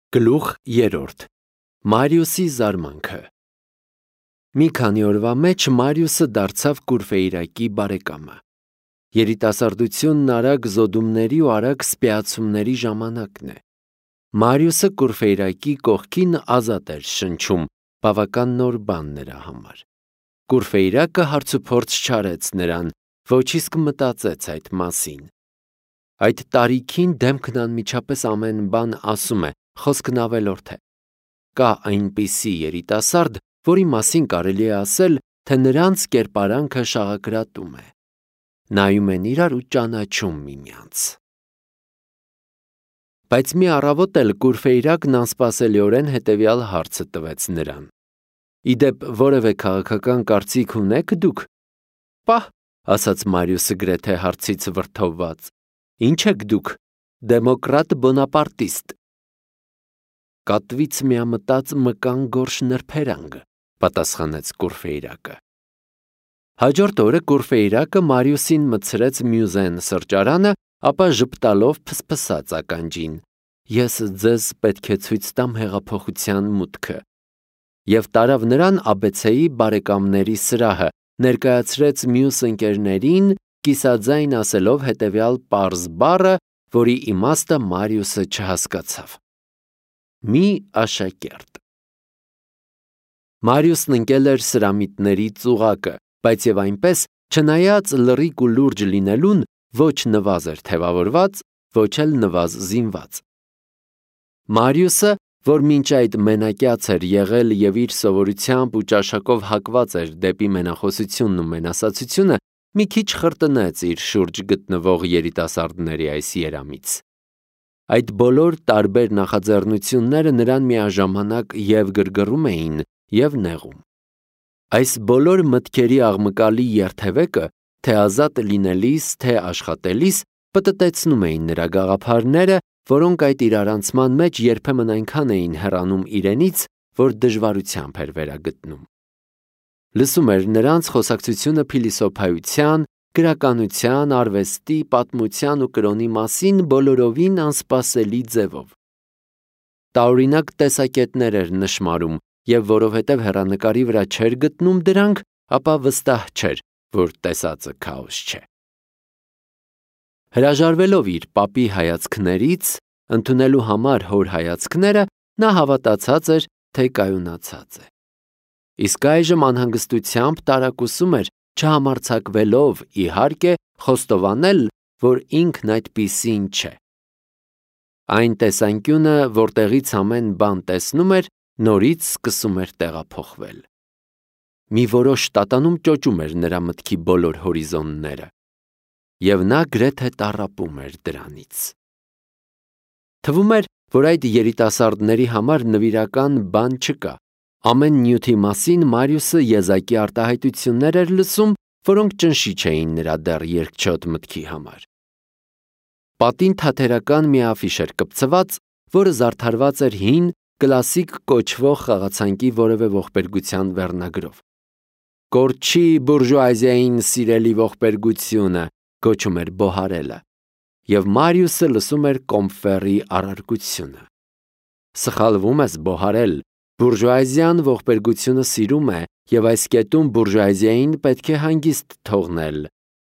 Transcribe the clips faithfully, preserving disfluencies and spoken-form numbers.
Գլուխ երրորդ. Մարիուսի զարմանքը։ Մի քանի օրվա մեջ Մարիուսը դարձավ Կուրֆեյրակի բարեկամը։ Երիտասարդությունն արագ զոդումների ու արագ սպիացումների ժամանակն է։ Մարիուսը Կուրֆեյրակի կողքին ազատ էր շնչում, բավական նոր բան նրա համար։ Կուրֆեյրակը հարցուփորձ չարեց նրան, ոչ իսկ մտածեց այդ մասին։ Այդ տարիքին դեմքն անմիջապես ամեն բան ասում է, խոսքն ավելորդ է։ Կա այնպիսի երիտասարդ, որի մասին կարելի է ասել, թե նրանց կերպարանքը շաղակրատում է։ Նայում են իրար ու ճանաչում միմյանց։ Բայց մի առավոտ էլ Կուրֆեյրակն անսպասելիորեն հետևյալ հարցը տվեց նրան. Իդեպ որևէ քաղաքական կարծիք ունեք դուք։ Պահ, ասաց Մարիուսը գրեթե հարցից վրդովված։ Ինչ եք դուք, դեմոկրատ բոնապարտիստ։ Կատվից միամտած մկան գորշ նրբերանգ, պատասխանեց Կուրֆեյրակը։ Հաջորդ օրը Կուրֆեյրակը Մարիուսին մտցրեց Մյուզեն սրճարանը, ապա ժպտալով փսփսաց ականջին. Ես ձեզ պետք է ցույց տամ հեղափոխության մուտքը։ Եվ տարավ նրան աբեցեի բարեկամների սրահը, ներկայացրեց մյուս ընկերներին, կիսաձայն ասելով հետևյալ պարզ բառը, որի իմաստը Մարիուսը չհասկացավ. Մի աշակերտ։ Մարիուսն ընկել էր սրամիտների ծուղակը, բայց եւ այնպես, չնայած լռիկ ու լուրջ լինելուն, ոչ նվազ էր թևավորված, ոչ էլ նվազ զինված։ Մարիուսը, որ մինչ այդ մենակյաց էր եղել եւ իր սովորությամբ ու ճաշակով հակված էր դեպի մենախոսությունն ու մենասացությունը, մի քիչ խրտնեց իր շուրջ գտնվող երիտասարդների այս երամից։ Այդ բոլոր տարբեր նախաձեռնությունները նրան միաժամանակ եւ գրգռում էին, եւ նեղում։ Այս բոլոր մտքերի աղմկալի երթևեկը, թե ազատ լինելիս, թե աշխատելիս, պտտեցնում էին նրա գաղափարները, որոնք այդ իրարանցման մեջ երբեմն այնքան էին հեռանում իրենից, որ դժվարությամբ էր վերագտնում։ Լսում էր նրանց խոսակցությունը փիլիսոփայության, գրականության, արվեստի, պատմության ու կրոնի մասին բոլորովին անսպասելի ձևով։ Տարօրինակ տեսակետներ էր նշմարում, եւ որովհետեւ հեռանկարի վրա չէր գտնում դրանք, ապա վստահ չէր, որ տեսածը քաոս չէ։ Հրաժարվելով իր պապի հայացքներից, ընդունելու համար հոր հայացքները, նա հավատացած էր, թե կայունացած է։ Իսկ այժմ անհանգստությամբ տարակուսում էր, չհամարձակվելով, իհարկե, խոստովանել, որ ինքն այդպիսին չէ։ Այն տեսանկյունը, որտեղից ամեն բան տեսնում էր, նորից սկսում էր տեղափոխվել։ Մի որոշ տատանում ճոճում էր նրա մտքի բոլոր հորիզոնները, եւ նա գրեթե տառապում էր դրանից։ Թվում էր, որ այդ երիտասարդների համար նվիրական բան չկա։ Ամեն նյութի մասին Մարիուսը եզակի արտահայտություններ էր լսում, որոնք ճնշի չէին նրա դեռ երկչոտ մտքի համար։ Պատին թաթերական մի աֆիշ էր կպցված, որը զարդարված էր հին, կլասիկ կոչվող խաղացանկի որևէ ողբերգության վերնագրով։ Կորչի բուրժուազիային սիրելի ողբերգությունը, կոչում էր Բոհարելը, եւ Մարիուսը լսում էր Կոմֆերի առարկությունը։ Սխալվում ես, Բոհարել, բուրժուազիան ողբերգությունը սիրում է եւ այս կետում բուրժուազիային պետք է հանգիստ թողնել։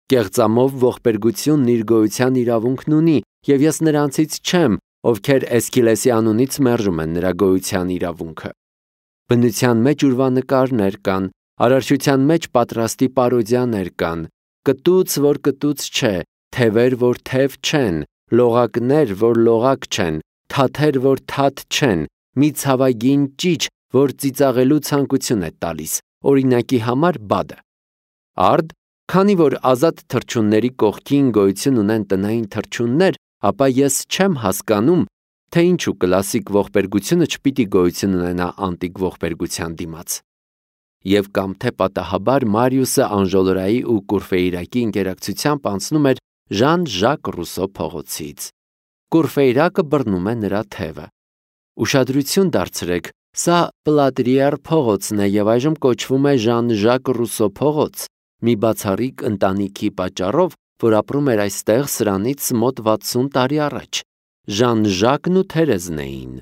Կեղծամով ողբերգությունն իր գոյության իրավունքն ունի եւ ես նրանցից չեմ, ովքեր Էսքիլեսի անունից մերժում են նրա գոյության իրավունքը։ Բնության մեջ ուրվանկարներ կան, արարչության մեջ պատրաստի պարոդիաներ կան, կտուց, որ կտուց չէ, թևեր, որ թև չեն, լողակներ, որ լողակ չեն, թաթեր, որ թաթ չեն, մի ցավագին ճիչ, որ ծիծաղելու ցանկություն է տալիս, օրինակի համար բադը։ Արդ, քանի որ ազատ թռչունների կողքին գոյություն ունեն տնային թռչուններ, ապա ես չեմ հասկանում, թե ինչու կլասիկ ողբերգությունը չպիտի գոյություն ունենա անտիկ ողբերգության դիմաց։ Եվ կամ թե պատահաբար Մարիուսը Անժոլորայի ու Կուրֆեյրակի ինտերակցիությամբ անցնում էր Ժան Ժակ Ռուսո փողոցից։ Կուրֆեյրակը բռնում է նրա թևը։ Ուշադրություն դարձրեք, սա Պլատրիեր փողոցն է եւ այժմ կոչվում է Ժան Ժակ Ռուսո փողոց, մի բացառիկ ընտանիքի պատճառով, որ ապրում էր այստեղ սրանից մոտ վաթսուն տարի առաջ։ Ժան Ժակն ու Թերեզն էին։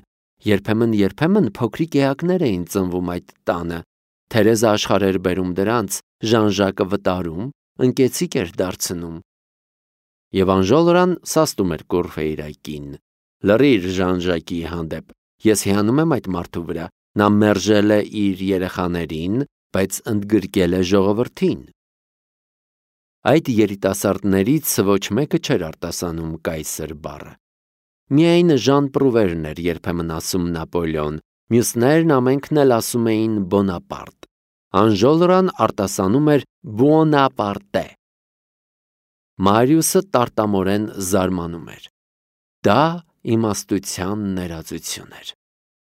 Երբեմն-երբեմն փոքրիկ էակներ էին ծնվում այդ տանը, Թերեզը աշխարհ էր բերում դրանց, Ժան-Ժակը վտարում, ընկեցիկ էր դարձնում։ Եվ Անժոլրան սաստում էր Կոռֆեյրակին. «Լռիր Ժան-Ժակի հանդեպ, ես հիանում եմ այդ մարդու վրա, նա մերժել է իր երեխաներին, բայց ընդգրկել է ժողովրդին»։ Այդ երիտասարդներից ոչ մեկը չէր արտասանում կայսր բառը։ Միայն Ժան Պրուվերն էր երբեմն ասում Նապոլեոն, մյուսներն ամենքն էլ ասում էին Բոնապարտ։ Անժոլրան արտասանում էր Բուոնապարտե։ Մարիուսը տարտամորեն զարմանում էր։ Դա իմաստության ներածություն էր։